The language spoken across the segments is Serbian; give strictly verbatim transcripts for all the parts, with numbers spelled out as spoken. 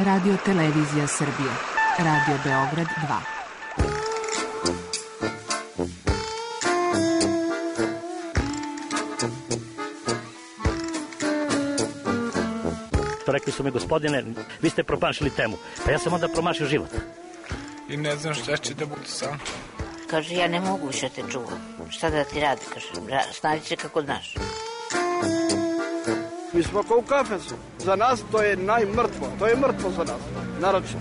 Radio Televizija Srbije. Radio Beograd dva. Rekli su mi, gospodine, vi ste promašili temu. Pa ja sam onda promašio život. I ne znam šta će da bude sam. Kaže, ja ne mogu više te čuvam. Šta da ti radi? Kaže, snađi se kako znaš. Mi smo kao u kafesu. Za nas to je najmrtvo. To je mrtvo za nas. Naročito.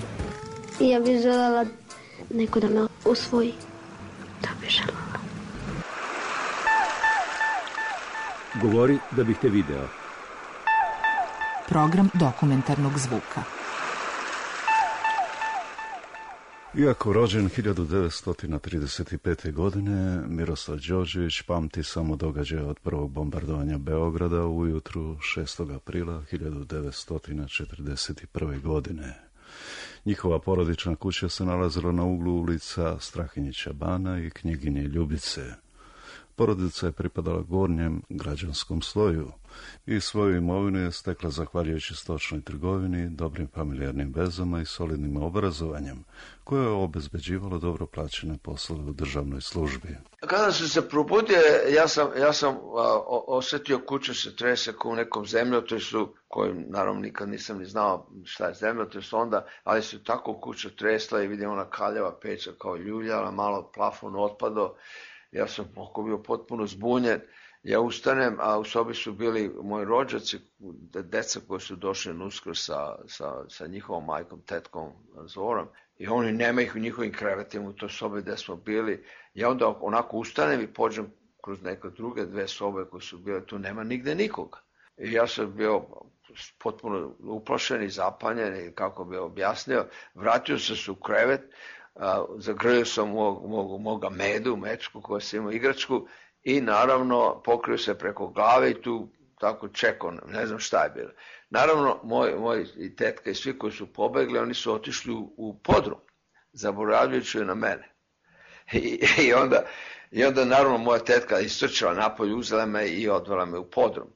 I ja bih željela neko da me usvoji. Da bih željela. Govori da bih te video. Program dokumentarnog zvuka. Iako rođen hiljadu devetsto trideset pete. godine, Miroslav Đorđević pamti samo događaje od prvog bombardovanja Beograda ujutru šestog aprila hiljadu devetsto četrdeset prve. godine. Njihova porodična kuća se nalazila na uglu ulica Strahinjića Bana i Knjeginje Ljubice. Porodica je pripadala gornjem građanskom sloju i svoju imovinu je stekla zahvaljujući stočnoj trgovini, dobrim familijarnim vezama i solidnim obrazovanjem, koje je obezbeđivalo dobro plaćene poslove u državnoj službi. Kada sam se probudio, ja sam, ja sam a, osjetio kuću se trese kao u nekom zemljotresu, kojim naravno nikad nisam ni znao šta je zemljotres onda, ali se tako kuća tresla i vidim ona kaljava peća kao ljuljala, malo plafon otpado. Ja sam oko bio potpuno zbunjen, ja ustanem, a u sobi su bili moji rođaci, deca koji su došli na Uskrs sa, sa, sa njihovom majkom, tetkom Zorom, i oni nema ih u njihovim krevetima u toj sobi gde smo bili. Ja onda onako ustanem i pođem kroz neke druge dve sobe koje su bile, tu nema nigde nikoga. I ja sam bio potpuno uplašen i zapanjen, i kako bi objasnio, vratio sam se u krevet, Uh, zagrlio sam mog, mog, moga Medu, mečku koja sam imao igračku, i naravno pokrio se preko glave i tu tako čekao, ne znam šta je bilo. Naravno, moj, moj i tetka i svi koji su pobegli, oni su otišli u, u podrum, zaboravljajući na mene. I, i, onda, I onda naravno moja tetka istrčala napolje, uzela me i odvela me u podrum.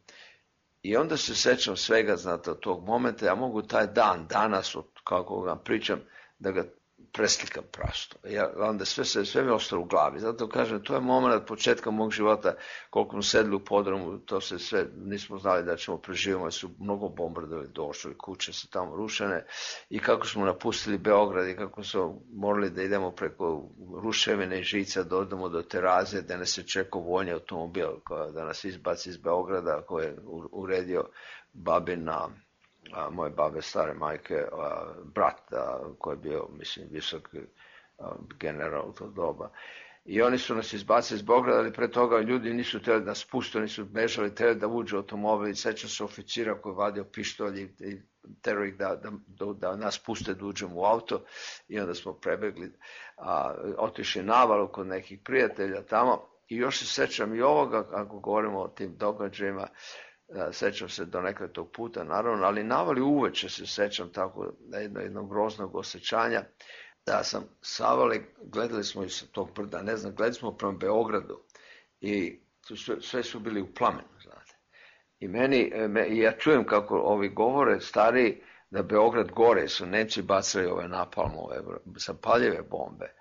I onda se sećam svega, znate, od tog momenta, ja mogu taj dan, danas, od, kako vam pričam, da ga preslikam prasto. Ja, onda sve, sve, sve mi je ostalo u glavi. Zato kažem, to je moment od početka mog života, koliko smo sedli u podrumu, to se sve, nismo znali da ćemo preživimo, su mnogo bombardovali došli, kuće su tamo rušene, i kako smo napustili Beograd i kako smo morali da idemo preko ruševine i žica, da odemo do teraze, da nas je čekao vojni automobil, da nas izbaci iz Beograda, koji je uredio babin na A, moje babe, stare majke, a, brat a, koji je bio, mislim, visok a, general u to doba. I oni su nas izbacili iz Beograda, ali pre toga ljudi nisu htjeli da nas puste, oni su bežali, htjeli da uđe automobil, i sećam se oficira koji je vadio pištolj i, i terao ih da, da, da nas puste da uđemo u auto, i onda smo prebegli, a, otišli navalu kod nekih prijatelja tamo. I još se sećam i ovoga, ako govorimo o tim događajima, sećam se do nekada tog puta, naravno, ali navali uveče se sećam tako jedno, jednog groznog osjećanja, da sam savali, gledali smo iz tog brda, ne znam, gledali smo prema Beogradu, i sve, sve su bili u plamenu, znate. I meni, me, i ja čujem kako ovi govore stariji da Beograd gore, su Nemci bacali ove napalmove, zapaljive bombe.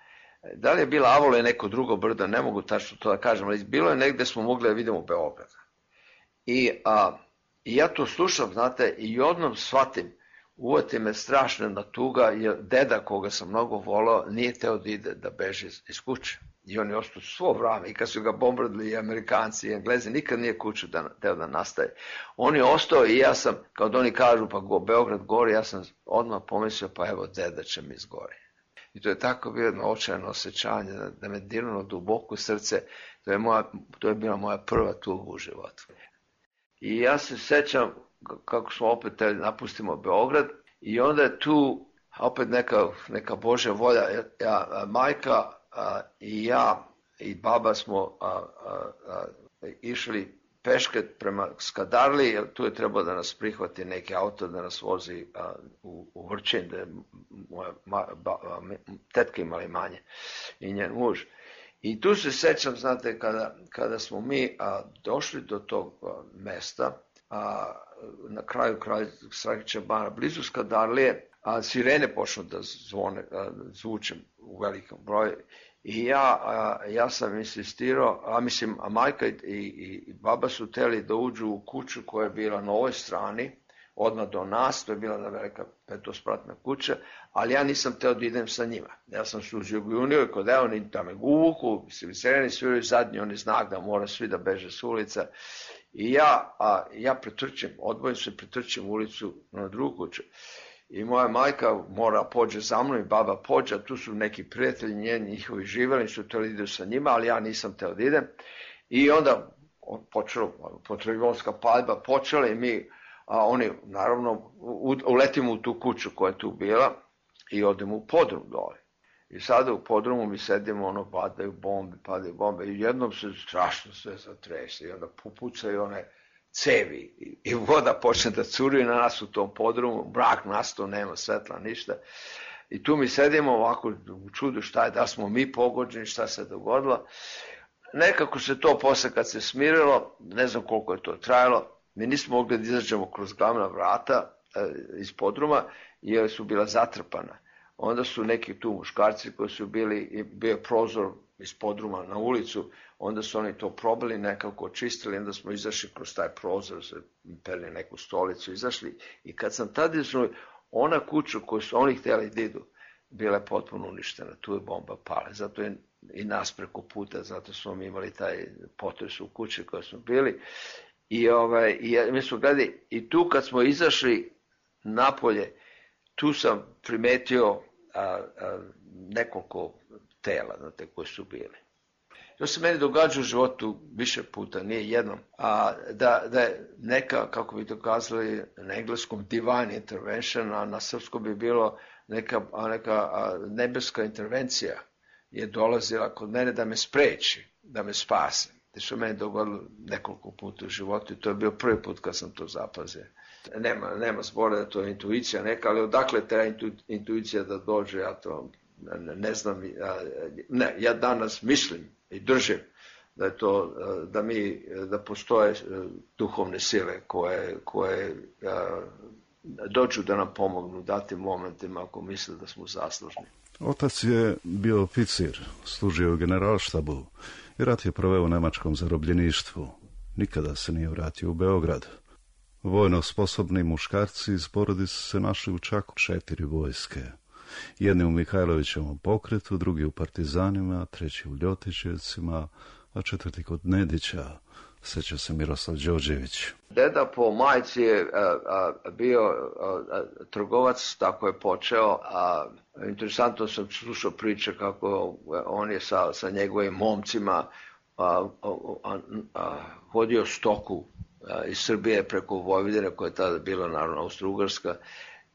Da li je bila Avola i neko drugo brdo, ne mogu tačno to da kažem, ali bilo je negde smo mogli da vidimo Beograd. I, a, I ja to slušam, znate, i odnom shvatim, uvati me strašna tuga, jer deda koga sam mnogo volao nije teo da ide, da beže iz, iz kuće. I on je ostao svo vrame, i kad su ga bombardili i Amerikanci i Englezi, nikad nije kuću da, teo da nastaje. On je ostao, i ja sam, kao da oni kažu, pa go, Beograd gori, ja sam odmah pomislio, pa evo, deda će mi izgori. I to je tako bilo jedno očajno osjećanje, da, da me dirnulo duboko u srce, to je, moja, to je bila moja prva tuga u životu. I ja se sećam kako smo opet napustimo Beograd, i onda je tu opet neka, neka Božja volja. Ja, ja, majka a, i ja i baba smo a, a, a, išli peške prema Skadarli, jer tu je trebalo da nas prihvati neki auto da nas vozi a, u, u Vrčin, da je moja ma, ba, a, tetka imala imanje i njen muž. I tu se sećam, znate, kada, kada smo mi a, došli do tog a, mesta, a, na kraju kralja Strahinjića Bana, blizu Skadarlije, a sirene počnu da zvone, a, zvučem u velikom broju. I ja, a, ja sam insistirao, a mislim, a majka i, i, i baba su hteli da uđu u kuću koja je bila na ovoj strani, odmah do nas, to je bila velika petospratna kuća, ali ja nisam hteo da idem sa njima. Ja sam služio junio i kod evo, oni da me uvuku, sireni sviraju zadnji, oni znak da mora svi da beže s ulica. I ja, a, ja pretrčim, odvojim se, pretrčim ulicu na drugu kuću. I moja majka mora pođe za mnom i baba pođe, a tu su neki prijatelji njeni, njihovi živeli, su hteli da idu sa njima, ali ja nisam hteo da idem. I onda počelo, potrebonska paljba počela i mi, a oni naravno uletimo u tu kuću koja je tu bila i odemo u podrum dole. I sada u podrumu mi sedimo, ono, padaju bombe, padaju bombe i jednom se strašno sve zatrese i onda pupucaju one cevi i, i voda počne da curi na nas u tom podrumu, mrak nastao, nema svetla, ništa. I tu mi sedimo ovako u čudu šta je, da smo mi pogođeni, šta se dogodilo. Nekako se to posle kad se smirilo, ne znam koliko je to trajalo, mi nismo mogli da izađemo kroz glavna vrata e, iz podruma jer su bila zatrpana. Onda su neki tu muškarci koji su bili, bio prozor iz podruma na ulicu, onda su oni to probali, nekako očistili, onda smo izašli kroz taj prozor, se perli neku stolicu, izašli. I kad sam tada izašli, ona kuća koju su oni htjeli da idu, bila je potpuno uništena, tu je bomba pala. Zato je i nas preko puta, zato smo mi imali taj potres u kući koji smo bili. I, ovaj, i mi smo gledali, i tu kad smo izašli napolje, tu sam primetio a, a, nekoliko tela, znate, koji su bili. To se meni događa u životu više puta, nije jednom, a da, da je neka, kako bi to kazali na engleskom, divine intervention, a na srpskom bi bilo neka, neka nebeska intervencija je dolazila kod mene da me spreči, da me spase. To se meni dogodilo nekoliko puta u životu i to je bio prvi put kad sam to zapazio. Nema, nema zbora da to je intuicija neka, ali odakle treba intu, intuicija da dođe, ja to ne, ne znam. Ne, ja danas mislim i držim da je to, da mi, da postoje duhovne sile koje, koje dođu da nam pomognu u datim momentima ako misle da smo zaslužni. Otac je bio oficir, služio u generalštabu i rat je proveo u nemačkom zarobljeništvu. Nikada se nije vratio u Beograd. Vojno sposobni muškarci iz porodice se našli u čak četiri vojske. Jedni u Mihajlovićevom pokretu, drugi u partizanima, treći u Ljotićevcima, a četvrti kod Nedića, seća se Miroslav Đorđević. Deda po majci je a, a, bio a, a, trgovac, tako je počeo, a interesantno sam slušao priče kako on je sa, sa njegovim momcima a, a, a, a, vodio stoku a, iz Srbije preko Vojvodine, koja je tada bila naravno Austro-Ugarska,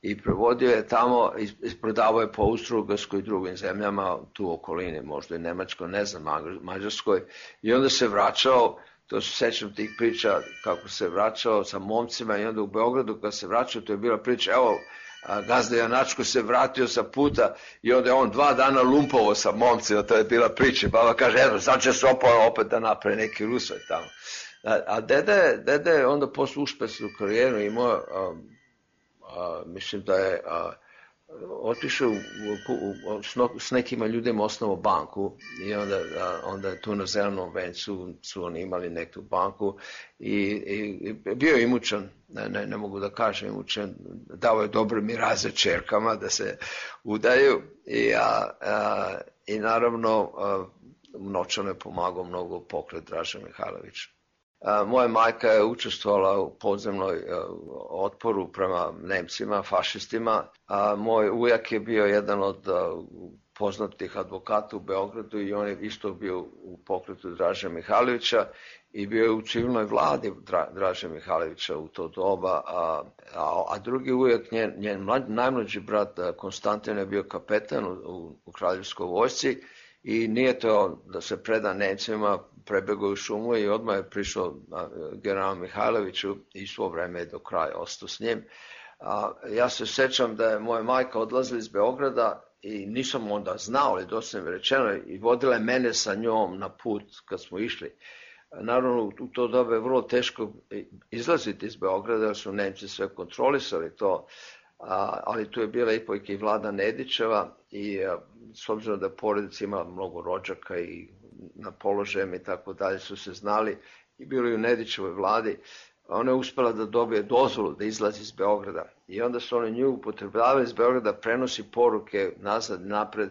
i prevodio je tamo i prodavao je po Austro-Ugarskoj i drugim zemljama, tu u okolini, možda i Nemačkoj, ne znam, Mađarskoj, i onda se vraćao. To se sećam tih priča kako se vraćao sa momcima i onda u Beogradu kad se vraćao, to je bila priča, evo, gazda Janačko se vratio sa puta i onda je on dva dana lumpovo sa momcima, to je bila priča. Baba kaže, evo, sad će se opao opet da napravi neki Rusoj tamo. A, a dede, dede je onda posle uspešnu karijeru imao, a, a, mislim da je a, otišao u, u, u, s nekima ljudima osnovao banku i onda, a, onda je tu na Zelenom vencu su oni imali neku banku i, i, i bio je imućan, ne, ne, ne mogu da kažem imućan, dao je dobre miraze čerkama da se udaju i, a, a, i naravno a, novčano je pomagao mnogo pokret Draže Mihajlovića. A, moja majka je učestvovala u podzemnoj a, otporu prema Nemcima, fašistima, a moj ujak je bio jedan od a, poznatih advokata u Beogradu i on je isto bio u pokretu Draže Mihajlovića i bio je u civilnoj vladi Dra, Draže Mihajlovića u to doba, a, a, a drugi ujak, njen, njen mlad, najmlađi brat Konstantin je bio kapetan u, u, u kraljevskoj vojsci i nije to da se preda Nemcima, prebegao u šumu i odmah je prišao general Mihajloviću i svo vreme je do kraja ostao s njim. A, ja se sećam da je moja majka odlazila iz Beograda i nisam onda znao, ali dosta mi rečeno, i vodila je mene sa njom na put kad smo išli. Naravno, u to doba je vrlo teško izlaziti iz Beograda, jer su Nemci sve kontrolisali to. a, ali tu je bila ipak i Vlada Nedićeva i a, s obzirom da porodica imala mnogo rođaka i na položajem i tako dalje su se znali i bilo i u Nedićevoj vladi, ona je uspela da dobije dozvolu da izlazi iz Beograda i onda su oni nju upotrebljavali iz Beograda, prenosi poruke nazad napred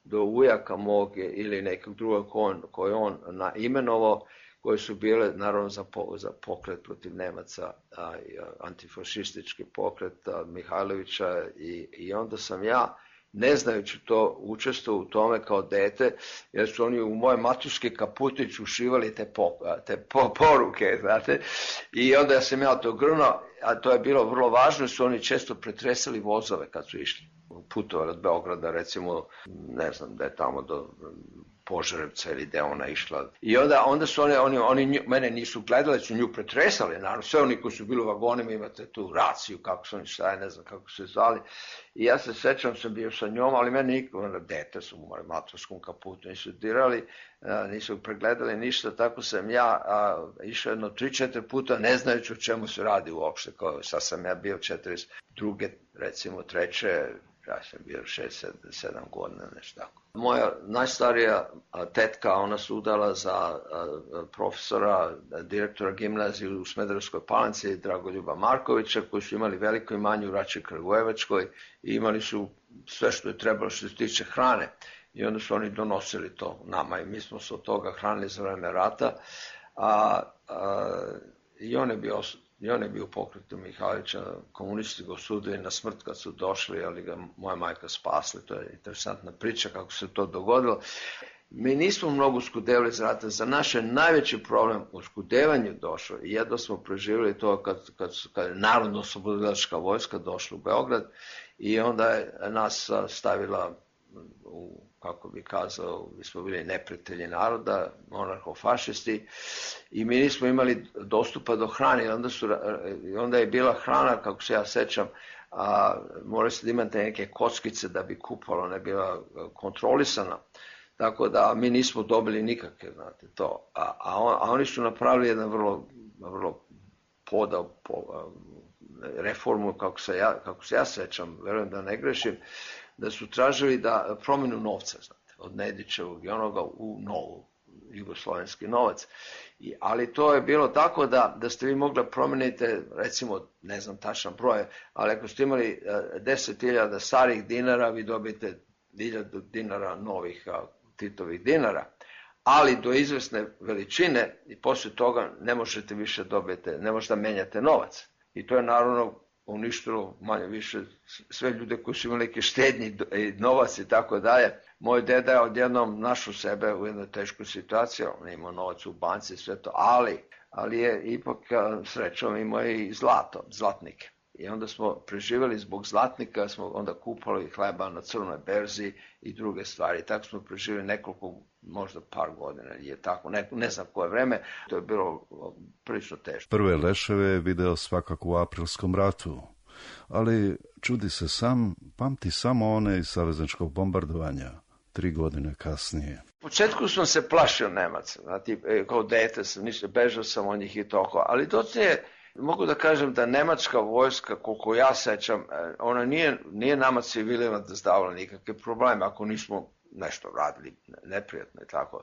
do ujaka mog ili nekog drugog koje on imenovao, koje su bile naravno za, po, za pokret protiv Nemaca, a, antifašistički pokret a, Mihajlovića i, i onda sam ja, ne znajući to, učestvovao u tome kao dete, jer su oni u moje matuške kaputić ušivali te, po, te po, poruke, znate, i onda sam ja to grnuo, a to je bilo vrlo važno, su oni često pretresali vozove kad su išli, putovali od Beograda, recimo, ne znam da je tamo do Požarevca ili gde ona išla. I onda, onda su oni, oni, oni nju, mene nisu gledali, su nju pretresali, naravno, sve oni koji su bili u vagonima, imate tu raciju, kako su oni šta, ne znam kako su se zvali. I ja se sećam, sam bio sa njom, ali mene niko, ono, dete su u matorskom kaputu, nisu dirali, a, nisu pregledali ništa, tako sam ja a, išao jedno tri, četiri puta, ne znajući o čemu se radi uopšte, kao sad sam ja bio četrdeset druge, recimo treće, ja sam bio šest, sedam godina, nešto tako. Moja najstarija tetka, ona se udala za profesora, direktora gimnazije u Smederevskoj Palanci, Dragoljuba Markovića, koji su imali veliko imanje u Rači Kragujevačkoj i imali su sve što je trebalo što se tiče hrane. I onda su oni donosili to nama i mi smo se od toga hranili za vreme rata. A, a, I on je bio... I on je bio u pokretu Mihajlovića, komunisti ga osudili na smrt kad su došli, ali ga moja majka spasli. To je interesantna priča kako se to dogodilo. Mi nismo mnogo skudevali iz rata. Za naš je najveći problem u skudevanju došao i jedno smo preživjeli to kad, kad, kad je Narodno-oslobodilačka vojska došla u Beograd i onda je nas stavila u, kako bi kazao, mi smo bili neprijatelji naroda, monarhofašisti i mi nismo imali dostupa do hrane i onda, su, onda je bila hrana, kako se ja sećam, a, morali ste da imate neke kockice da bi kupalo, ne bila kontrolisana, tako da mi nismo dobili nikakve, znate, to. A, a, on, a oni su napravili jedan vrlo, vrlo podao, po, reformu, kako se, ja, kako se ja sećam, verujem da ne grešim, da su tražili da promenu novca, znate, od Nedićevog i onoga u novu, jugoslovenski novac. I, ali to je bilo tako da, da ste vi mogli promeniti, recimo, ne znam tačan broj, ali ako ste imali deset hiljada starih dinara, vi dobijete hiljadu dinara novih a, Titovih dinara, ali do izvesne veličine i posle toga ne možete više dobiti, ne možete da menjate novac. I to je naravno uništilo manje više sve ljude koji su imali neke štednje i novac i tako dalje. Moj deda je odjednom našao sebe u jednoj teškoj situaciji, on je imao novac u banci i sve to, ali, ali je ipak srećom imao i zlato, zlatnike. I onda smo preživjeli zbog zlatnika, smo onda kupali hleba na crnoj berzi i druge stvari. Tako smo preživjeli nekoliko, možda par godina, je tako, ne, ne znam koje vreme, to je bilo prilično teško. Prve leševe je video svakako u aprilskom ratu, ali čudi se sam, pamti samo one iz savezničkog bombardovanja, tri godine kasnije. U početku sam se plašio Nemaca, znači, kao dete sam, ništa, bežao sam od njih i toko, ali docije mogu da kažem da nemačka vojska, koliko ja sećam, ona nije, nije nama civilima da zdavala nikakve probleme, ako nismo nešto radili neprijatno i tako.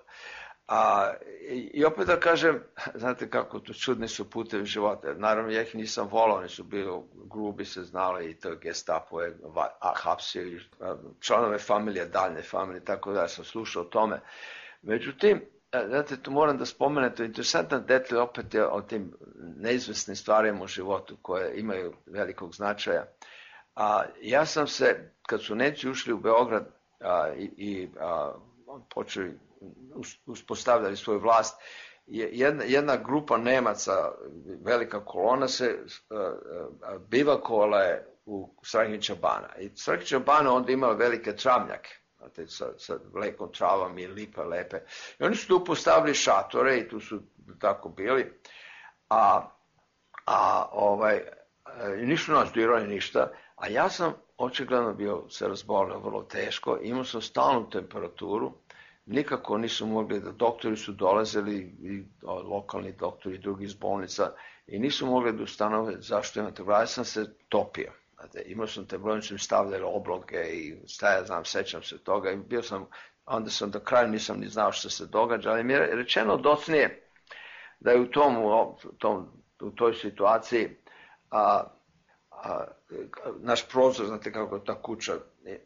A, i, I opet da kažem, znate kako, to čudni su putevi života. Naravno, ja ih nisam volao, oni su bili grubi, se znali i to Gestapo je hapsio članove familije, daljne familije, tako da sam slušao o tome. Međutim, znate, tu moram da spomenete, interesantan detalj opet je o tim neizvesnim stvarima u životu koje imaju velikog značaja. A, ja sam se, kad su Nemci ušli u Beograd a, i, i a, počeli, uspostavljali svoju vlast, jedna, jedna grupa Nemaca, velika kolona se a, a, bivakovala je u Strahinjića Bana. I Strahinjića Bana onda imala velike travnjake. Sa, sa lekom travom i lipe lepe. I oni su tu postavili šatore i tu su tako bili, a, a ovaj, nisu nas dirali ništa, a ja sam očigledno bio se razbolio vrlo teško, imao sam stalnu temperaturu, nikako nisu mogli da, doktori su dolazili, i lokalni doktori, drugi iz bolnica, i nisu mogli da ustanove zašto imate, ja sam se topio. Znate, imao sam te brojnice, mi stavljali obloge i šta ja znam, sećam se toga i bio sam, onda sam do kraja nisam ni znao što se događa, ali mi je rečeno docnije da je u, tom, u, tom, u toj situaciji a, a, naš prozor, znate kako ta kuća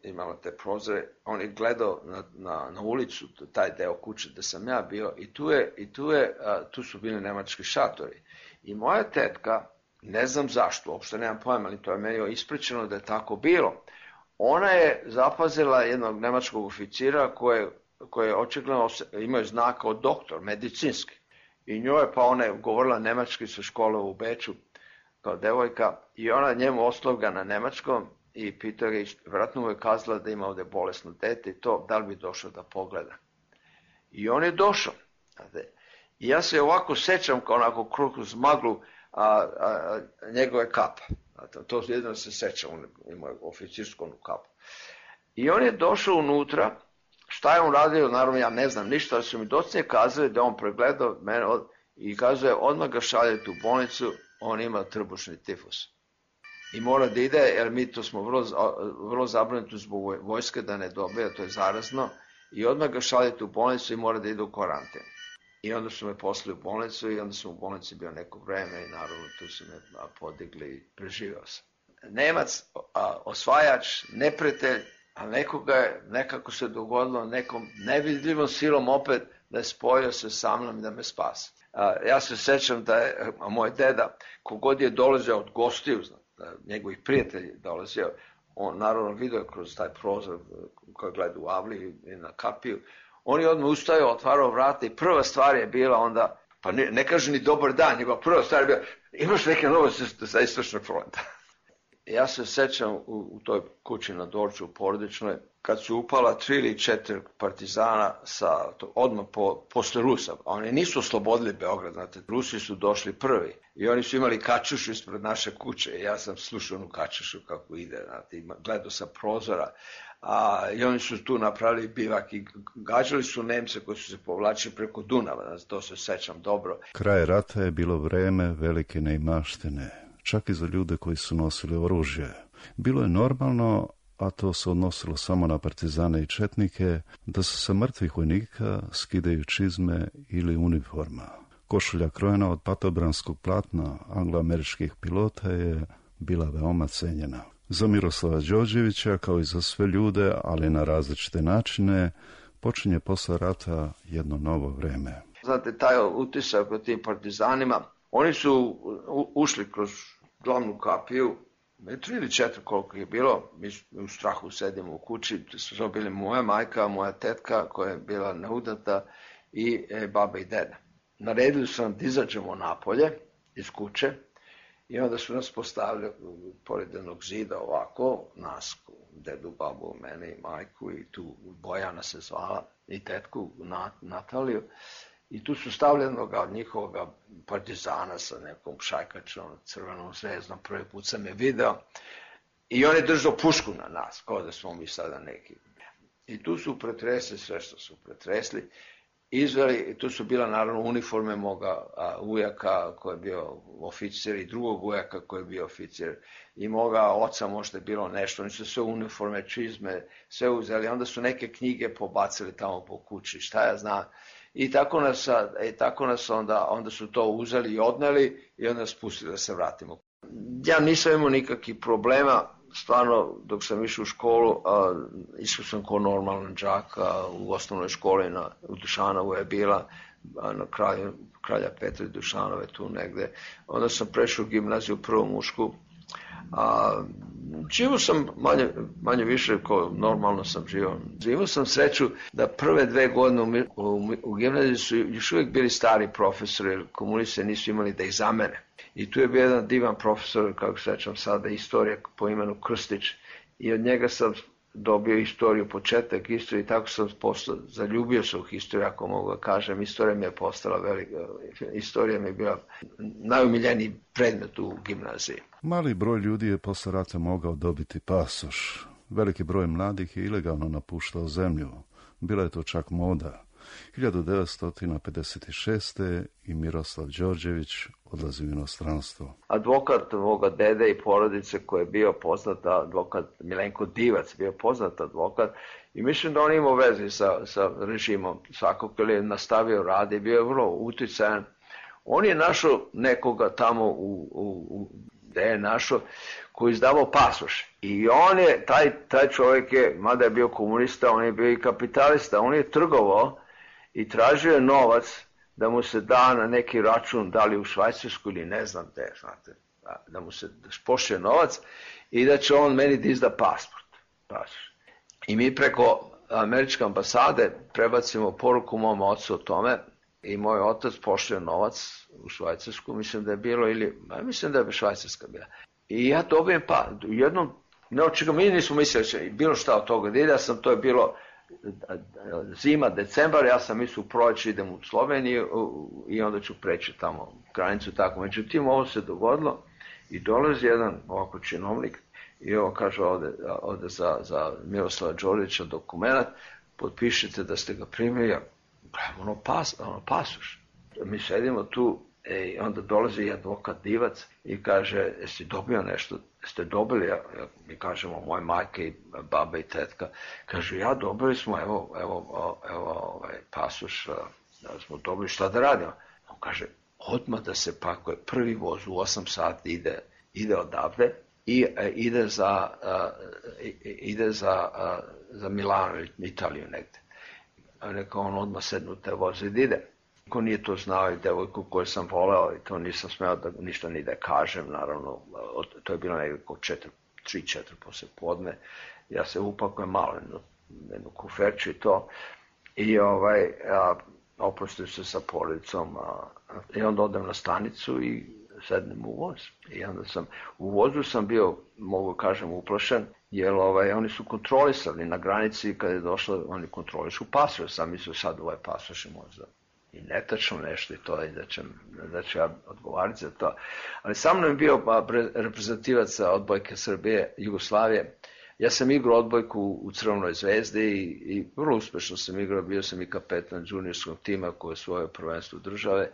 imala te prozore, on je gledao na, na, na ulicu, taj deo kuće gde sam ja bio i tu, je, i tu, je, a, tu su bili nemački šatori. I moja tetka, ne znam zašto, uopšte nemam pojma, ali to je meni ispričano da je tako bilo. Ona je zapazila jednog nemačkog oficira koje, koje očigledno imaju znak kao doktor, medicinski. I njoj je, pa ona je govorila nemački sa škole u Beču kao devojka i ona njemu oslovga na nemačkom i pitao ga, vratno mu je kazala da ima ovde bolesno dete i to, da li bi došao da pogleda. I on je došao. I ja se ovako sećam kao onako kroz maglu a, a, a njegove kapa. To jedno se sećam, on ima oficirsku kapu. I on je došao unutra, šta je on radio, naravno ja ne znam ništa, ali su mi docnije kazali da on pregledao mene od, i kazuje odmah ga šaljete u bolnicu, on ima trbušni tifus. I mora da ide, jer mi to smo vrlo, vrlo zabrinuti zbog vojske da ne dobije, to je zarazno, i odmah ga šaljete u bolnicu i mora da ide u karantin. I onda su me poslali u bolnicu i onda sam u bolnici bio neko vreme i naravno tu su me podigli i preživao sam. Nemac, a, osvajač, neprijatelj, a nekoga je, nekako se dogodilo nekom nevidljivom silom opet da je spojio se sa mnom i da me spasi. A, ja se sećam da je a moj deda, kogod je dolazio od gostiju, njegovih prijatelji dolazio, on naravno vidio kroz taj prozor koji gleda u avliju i na kapiju, on je odmah ustajao, otvarao vrata i prva stvar je bila onda, pa ne, ne kaže ni dobar dan, nego prva stvar je bila, imaš neke novosti sa istočnog fronta. Ja se sećam u, u toj kući na Dorču, u porodičnoj, kad su upala tri ili četiri partizana sa, to, odmah po, posle Rusa. Oni nisu oslobodili Beograd, znate, Rusi su došli prvi i oni su imali kačušu ispred naše kuće i ja sam slušao onu kačušu kako ide, znate, gledao sa prozora. A, i oni su tu napravili bivak i gađali su Nemce koji su se povlačili preko Dunava, znači, to se sećam dobro. Kraj rata je bilo vreme velike neimaštine, čak i za ljude koji su nosili oružje. Bilo je normalno, a to se odnosilo samo na partizane i četnike, da se sa mrtvih vojnika skidaju čizme ili uniforma. Košulja krojena od patobranskog platna angloameričkih pilota je bila veoma cenjena. Za Miroslava Đorđevića, kao i za sve ljude, ali na različite načine, počinje posle rata jedno novo vreme. Znate, taj utisak o tim partizanima, oni su ušli kroz glavnu kapiju, tri ili četiri koliko je bilo, mi u strahu sedimo u kući, su bili moja majka, moja tetka koja je bila neudata i e, baba i deda. Naredili su nam da izađemo napolje iz kuće i onda su nas postavili pored jednog zida ovako, nas, dedu, babu, mene i majku i tu Bojana se zvala i tetku Nataliju. I tu su stavili jednog od njihovog partizana sa nekom šajkačom, crvenom zvezdom, prvi put sam je video. I on je držao pušku na nas, kao da smo mi sada neki. I tu su pretresli sve što su pretresli. Izveli, i tu su bila naravno uniforme moga a, ujaka koji je bio oficir i drugog ujaka koji je bio oficir. I moga oca možda je bilo nešto, oni su sve uniforme, čizme, sve uzeli. Onda su neke knjige pobacili tamo po kući, šta ja znam. I tako nas, i tako nas onda, onda su to uzeli i odneli i onda nas pustili da se vratimo. Ja nisam imao nikakvih problema, stvarno dok sam išao u školu, a, išao sam kao normalan đak a, u osnovnoj školi na, u Dušanovu je bila, a, na kraju Kralja Petra i Dušanove tu negde. Onda sam prešao u gimnaziju, prvu mušku. A, živo sam manje, manje više kao normalno sam živo. Živo sam sreću da prve dve godine u, u, u gimnaziji su još uvijek bili stari profesori, jer komunisti nisu imali da ih zamene. I tu je bio jedan divan profesor, kako se sećam sada, istorija po imenu Krstić. I od njega sam dobio istoriju, početak istorije i tako sam postao, zaljubio se u historiju, ako mogu da kažem. Istorija mi je postala velika, istorija mi je bila najumiljeniji predmet u gimnaziji. Mali broj ljudi je posle rata mogao dobiti pasoš. Veliki broj mladih je ilegalno napuštao zemlju. Bila je to čak moda. hiljadu devetsto pedeset šeste. i Miroslav Đorđević odlazi u inostranstvo. Advokat moga dede i porodice koji je bio poznat advokat, Milenko Divac, bio poznat advokat i mislim da on imao veze sa, sa režimom svakog, jer je nastavio rad i bio je vrlo uticajan. On je našao nekoga tamo u, u, u gde je našao, koji je izdavao pasoš. I on je, taj, taj čovjek je, mada je bio komunista, on je bio i kapitalista, on je trgovao i tražio je novac da mu se da na neki račun, da li u Švajcarsku ili ne znam gde, znate, da mu se pošle novac i da će on meni da izda pasport. pasoš. I mi preko američke ambasade prebacimo poruku mom ocu o tome i moj otac pošle novac u Švajcarsku, mislim da je bilo, ili, mislim da je Švajcarska bila. I ja dobijem pa, u jednom, neočekam, mi nismo mislili da će bilo šta od toga da ide, ja sam, to je bilo zima, decembar, ja sam mislio u proleće idem u Sloveniju i onda ću preći tamo granicu tako. Međutim, ovo se dogodilo i dolazi jedan ovako činovnik i ovo kaže ovde, ovde za, za Miroslava Đorđevića dokument, potpišite da ste ga primili, ono, pas, ono pasoš. Mi sedimo tu i onda dolazi i advokat Divac i kaže, jesi dobio nešto, jeste dobili, ja, ja, mi kažemo, moje majke i baba i tetka, kaže, ja dobili smo, evo, evo, evo ovaj pasoš, da smo dobili, šta da radimo? On kaže, odmah da se pakuje, prvi voz u osam sati ide, ide odavde i e, ide za, a, ide za, a, za Milano, Italiju negde. Rekao, on odmah sednu te voze i ide. Ko nije to znao i devojku koju sam voleo i to nisam smeo da ništa ni da kažem, naravno, to je bilo nekako tri četiri posle podne, ja se upakujem malo jednu, jednu kuferču i to i ovaj, a, oprostim se sa porodicom a, i onda odem na stanicu i sednem u voz. I onda sam, u vozu sam bio, mogu kažem, uplašen, jer ovaj, oni su kontrolisali na granici kada je došlo, oni kontrolišu pasoš, sam mislio sad ovaj pasoš je možda i netačno nešto i to, i da ću, da ću ja odgovarati za to. Ali sa mnom je bio pa, reprezentativac odbojke Srbije, Jugoslavije. Ja sam igrao odbojku u Crvenoj zvezdi i, i vrlo uspešno sam igrao, bio sam i kapetan juniorskog tima koji je svoje prvenstvo države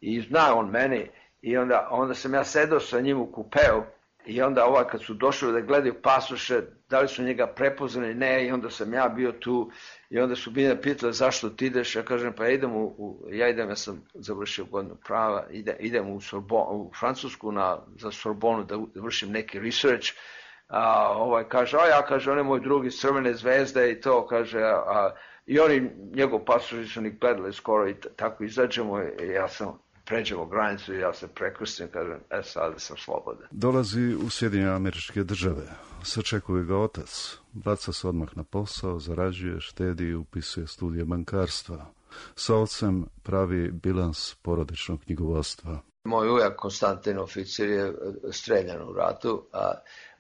i zna on meni i onda, onda sam ja sedao sa njim u kupeu i onda ovaj kad su došli da gledaju pasoše, da li su njega prepoznali, ne, i onda sam ja bio tu i onda su bili pitali zašto ti ideš, ja kažem pa ja idem u, u ja idem, ja sam završio godinu prava, ide, idem u, Sorbon, u Francusku na, za Sorbonu da vršim neki research, a ovaj kaže, a ja kaže, on je moj drugi Crvene zvezde i to, kaže, a, i oni, njegov pasoši su ni gledali skoro i tako izađemo i ja sam pređemo granicu i ja se prekrstim, kažem, e sad sam slobodan. Dolazi u Sjedinjene Američke Države, sačekuje ga otac, baca se odmah na posao, zarađuje, štedi i upisuje studije bankarstva. Sa ocem pravi bilans porodičnog knjigovodstva. Moj ujak Konstantin oficir je streljan u ratu, a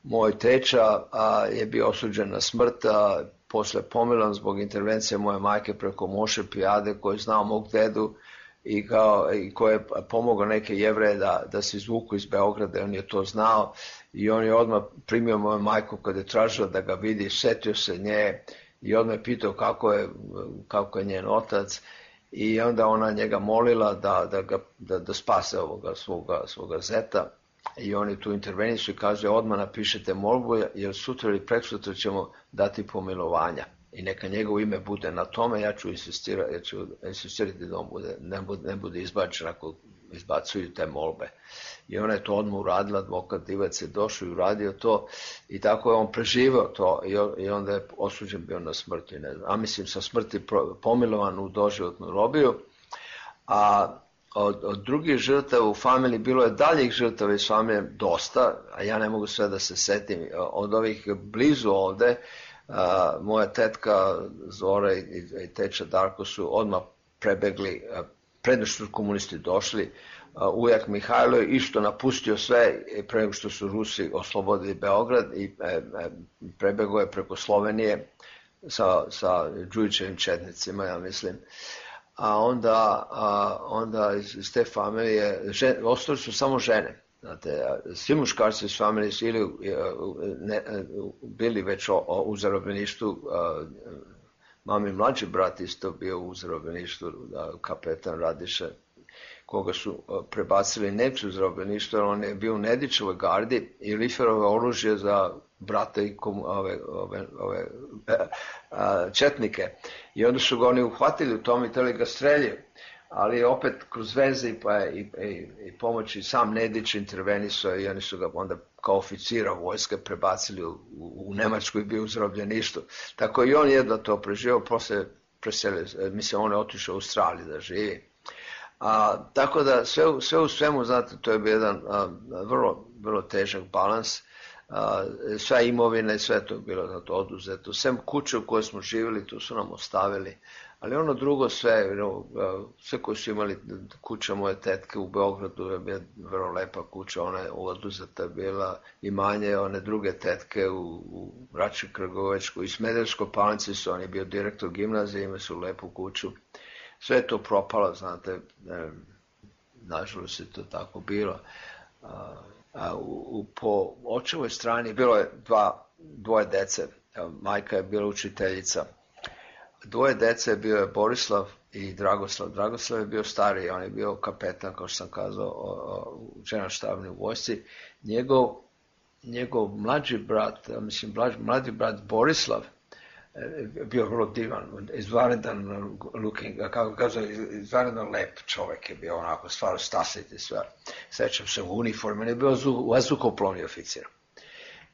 moj teča a, je bio osuđen na smrt, a posle pomilan zbog intervencije moje majke preko Moše Pijade koji je znao mog dedu i, kao, i koji je pomogao neke Jevreje da, da se izvuku iz Beograda, on je to znao i on je odmah primio moju majku kada je tražila da ga vidi, setio se nje i odmah je pitao kako je, kako je njen otac i onda ona njega molila da, da, ga, da, da spase ovoga svoga, svoga zeta i oni tu intervenisu i kaže odmah napišete molbu jer sutra ili preksutra ćemo dati pomilovanja. I neka njegovo ime bude na tome, ja ću insistirati, ja ću insistirati da on bude, ne, bude, ne bude izbačen ako izbacuju te molbe. I ona je to odmah uradila, advokat Divac je došao i uradio to i tako je on preživao to i onda je osuđen bio na smrt. Ne znam, a mislim sa smrti pomilovan u doživotnu robiju. A od, od drugih žrtava u familiji bilo je daljih žrtava iz familije dosta, a ja ne mogu sve da se setim. Od ovih blizu ovde, Uh, moja tetka Zora i, i teča Darko su odmah prebegli, uh, predno što su komunisti došli, uh, ujak Mihajlo je isto napustio sve pre nego što su Rusi oslobodili Beograd i e, e, prebegao je preko Slovenije sa, sa Đujićevim četnicima, ja mislim. A onda, a, onda iz, iz te familije, žen, ostali su samo žene. Znate, svi muškarci iz familije su ili ne, bili već o, o, u zarobljeništvu Mami mlađi brat isto bio u zarobljeništvu, kapetan Radiša, koga su prebacili Nemci u zarobljeništvo, jer on je bio u Nedićevoj gardi i liferove oružje za brata i kom, ove, ove, ove a, četnike. I onda su ga oni uhvatili u tom i teli ga streljaju. Ali opet kroz veze i, pa, i, i, i pomoći sam Nedić intervenisao i oni su ga onda kao oficira vojske prebacili u, u, u Nemačku i bio u zarobljeništvu. Tako i on jedva to preživio, posle preselio, mislim on je otišao u Australiju da živi. A, tako da sve, sve u svemu, znate, to je bio jedan a, vrlo, vrlo težak balans. A, sva imovina i sve to je bilo zato oduzeto. Sem kuće u kojoj smo živjeli, tu su nam ostavili. Ali ono drugo sve, sve koji su imali, kuća moje tetke u Beogradu je bila vrlo lepa kuća, ona je oduzeta bila, imanje one druge tetke u, u Rači Krgovečku i Smederevskoj Palanci su, on je bio direktor gimnazije, imali su lepu kuću. Sve je to propalo, znate, ne, nažalost je to tako bilo. A, a u, u, po očevoj strani bilo je dva, dvoje dece, majka je bila učiteljica. Dvoje dece bio je Borislav i Dragoslav. Dragoslav je bio stariji, on je bio kapetan, kao što sam kazao, u generalštabnoj vojsci. Njegov, njegov mlađi brat, mislim, mlađi brat Borislav, bio vrlo divan, izvanredan looking, kako kazao, izvanredan lep čovjek je bio, onako, stvarno stasiti sve. Sećam se u uniformi, on je bio vazduhoplovni oficir.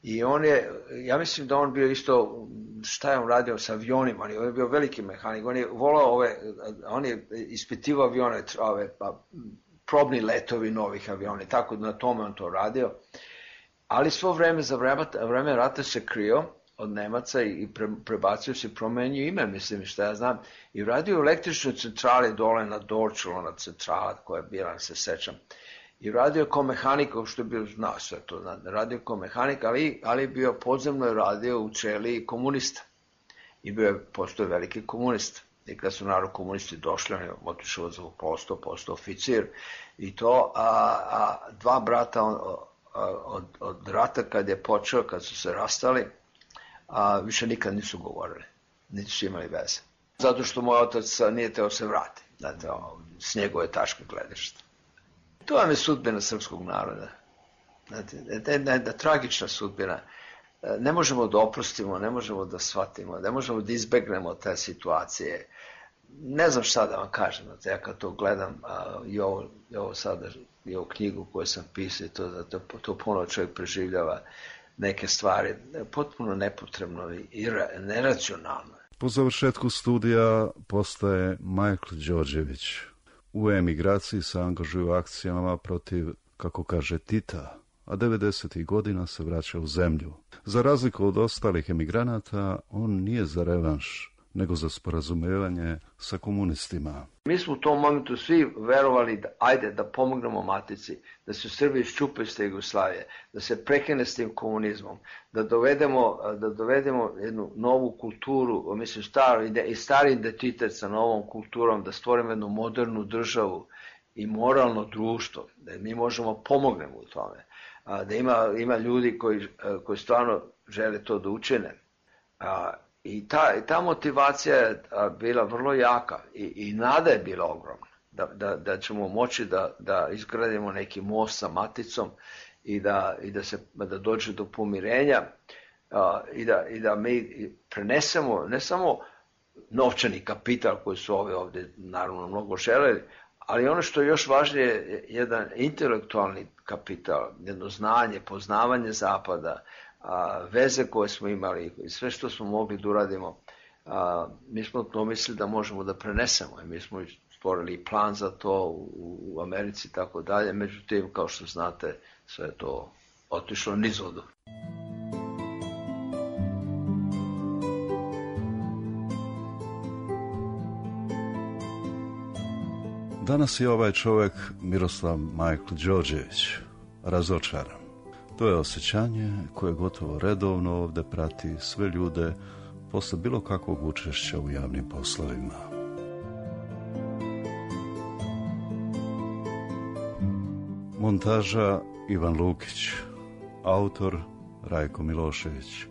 I on je, ja mislim da on bio isto, šta je on radio sa avionima, on je bio veliki mehanik, on je volao ove, on je ispitivao avione, ove, probni letovi novih aviona, tako da na tome on to radio. Ali svo vreme, za vreme, vreme rata se krio od Nemaca i pre, prebacio se, promenio ime, mislim, šta ja znam, i radio u električnoj centrali dole na Dorčulu, na centrala koja je bila, se sećam. I radio kao mehanik, što je bio, znao sve to, radio kao mehanik, ali, ali je bio podzemno je radio u Čeliji komunista. I bio je, postoje veliki komunista. I kad su narod komunisti došli, on je otišao za postao, postao oficir. I to, a, a dva brata on, a, od, od rata kad je počeo, kad su se rastali, a, više nikad nisu govorili. Niti su imali veze. Zato što moj otac nije teo se vrati. Znate, s njegove taške gledišta. To vam je sudbina srpskog naroda. Znate, jedna, jedna tragična sudbina. Ne možemo da oprostimo, ne možemo da shvatimo, ne možemo da izbegnemo te situacije. Ne znam šta da vam kažem, znate, ja kad to gledam, a, i, ovo, i ovo sada, i ovu knjigu koju sam pisao, to, to, to puno čovjek preživljava neke stvari, potpuno nepotrebno i neracionalno. Po završetku studija postaje Majkl Đorđević. U emigraciji se angažuju u akcijama protiv, kako kaže, Tita, a devedesetih godina se vraća u zemlju. Za razliku od ostalih emigranata, on nije za revanš, nego za sporazumevanje sa komunistima. Mi smo u tom momentu svi verovali da ajde da pomognemo matici, da se Srbi iščupe iz te Jugoslavije, da se prekine s tim komunizmom, da dovedemo, da dovedemo jednu novu kulturu, mislim stari, i stari identitet sa novom kulturom, da stvorimo jednu modernu državu i moralno društvo, da mi možemo pomognemo u tome, da ima, ima ljudi koji, koji stvarno žele to da učine. I ta, ta motivacija je bila vrlo jaka i, i nada je bila ogromna da, da, da ćemo moći da, da izgradimo neki most sa maticom i da, i da, se, da dođe do pomirenja a, i, da, i da mi prenesemo ne samo novčani kapital koji su ove ovdje naravno mnogo želeli, ali ono što je još važnije je jedan intelektualni kapital, jedno znanje, poznavanje Zapada, a, veze koje smo imali i sve što smo mogli da uradimo, a, mi smo pomislili da možemo da prenesemo i mi smo stvorili plan za to u, u Americi i tako dalje, međutim, kao što znate, sve je to otišlo nizodu. Danas je ovaj čovjek, Miroslav Majkl Đorđević, razočaran. To je osjećanje koje gotovo redovno ovdje prati sve ljude posle bilo kakvog učešća u javnim poslovima. Montaža Ivan Lukić, autor Rajko Milošević.